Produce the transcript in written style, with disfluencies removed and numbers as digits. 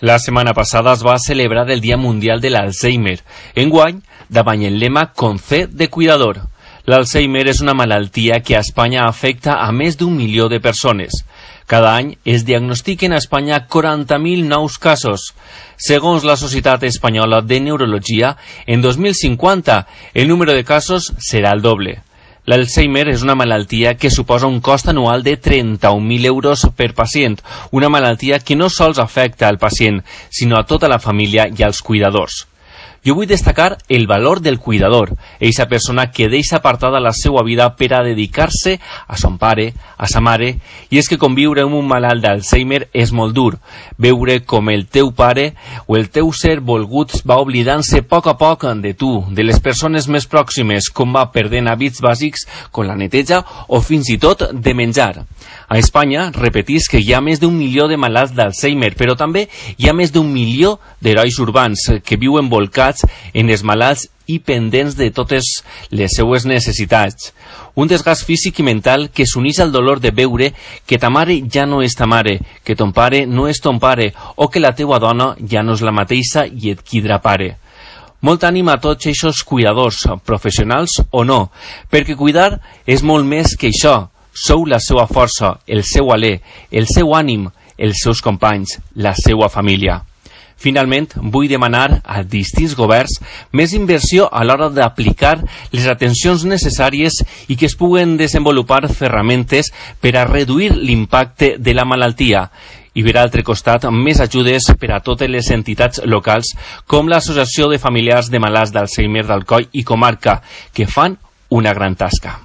La setmana passada es va celebrar el Dia Mundial de l'Alzheimer. Enguany, davant el lema Concé de Cuidador. L'Alzheimer és una malaltia que a Espanya afecta a més d'1 milió de persones. Cada any es diagnostiquen a Espanya 40.000 nous casos. Segons la Societat Espanyola de Neurologia, en 2050 el número de casos serà el doble. L'Alzheimer és una malaltia que suposa un cost anual de 31.000 euros per pacient, una malaltia que no sols afecta al pacient, sinó a tota la família i als cuidadors. Jo vull destacar el valor del cuidador, eixa persona que deixa apartada la seva vida per a dedicar-se a son pare, a sa mare, i és que conviure amb un malalt d'Alzheimer és molt dur. Veure com el teu pare o el teu ser volgut va oblidant-se a poc de tu, de les persones més pròximes, com va perdent hàbits bàsics com la neteja o fins i tot de menjar. A Espanya, repetisc que hi ha més d'1 milió de malalts d'Alzheimer, però també hi ha més d'1 milió d'herois urbans que viuen volcats en els malalts i pendents de totes les seues necessitats. Un desgast físic i mental que s'uneix al dolor de veure que ta mare ja no és ta mare, que ton pare no és ton pare, o que la teua dona ja no és la mateixa i et quidrà pare. Molt ànim a tots aquests cuidadors, professionals o no, perquè cuidar és molt més que això. Sou la seva força, el seu alè, el seu ànim, els seus companys, la seva família. Finalment, vull demanar a distints governs més inversió a l'hora d'aplicar les atencions necessàries i que es puguen desenvolupar ferramentes per a reduir l'impacte de la malaltia. I per altre costat, més ajudes per a totes les entitats locals com l'Associació de Familiars de Malalts d'Alzheimer d'Alcoi i Comarca, que fan una gran tasca.